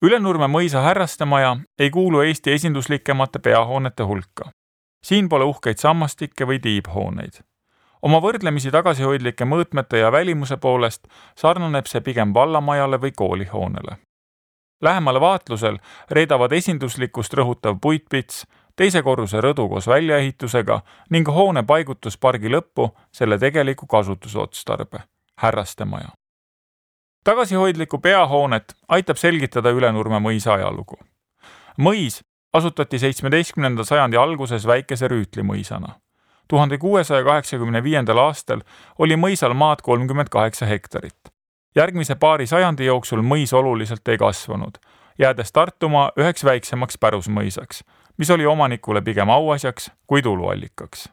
Ülenurme mõisa härrastemaja ei kuulu Eesti esinduslikemate peahoonete hulka. Siin pole uhkeid sammastikke või tiibhooneid. Oma võrdlemisi tagasihoidlike mõõtmete ja välimuse poolest sarnaneb see pigem vallamajale või koolihoonele. Lähemal vaatlusel reedavad esinduslikkust rõhutav puitpits, teise korruse rõdu koos väljaehitusega ning hoone paigutus pargi lõppu selle tegeliku kasutusotstarbe, härrastemaja. Tagasihoidliku peahoonet aitab selgitada Ülenurme mõisa ajalugu. Mõis asutati 17. sajandi alguses väikese rüütlimõisana. 1685. aastal oli mõisal maad 38 hektarit. Järgmise paari sajandi jooksul mõis oluliselt ei kasvanud, jäädes Tartumaa üheks väiksemaks pärusmõisaks, mis oli omanikule pigem auasjaks kui tuluallikaks.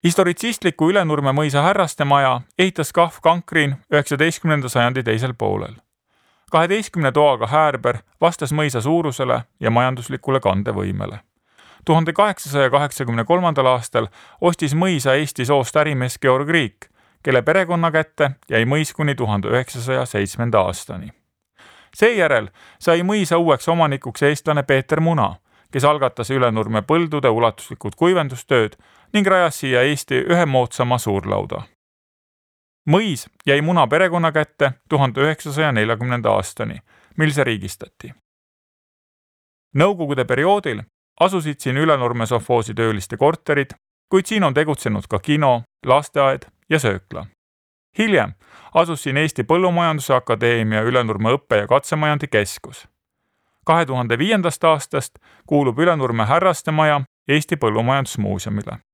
Historitsistliku Ülenurme mõisa härrastemaja ehitas Kahv Kankrin 19. sajandi teisel poolel. 12 toaga häärber vastas mõisa suurusele ja majanduslikule kandevõimele. 1883. aastal ostis mõisa Eesti soost ärimees Georg Riik, kelle perekonna kätte jäi mõis kuni 1907. aastani. Seejärel sai mõisa uueks omanikuks eestlane Peeter Muna, kes algatas Ülenurme põldude ulatuslikud kuivendustööd ning rajas siia Eesti ühe moodsama suurlauda. Mõis jäi Muna perekonna kätte 1940. aastani, mil see riigistati. Nõukogude perioodil asusid siin Ülenurme sovhoosi tööliste korterid, kuid siin on tegutsenud ka kino, lasteaed ja söökla. Hiljem asus siin Eesti Põllumajanduse Akadeemia Ülenurme õppe- ja katsemajandi keskus. 2005. aastast kuulub Ülenurme härrastemaja Eesti Põllumajandusmuuseumile.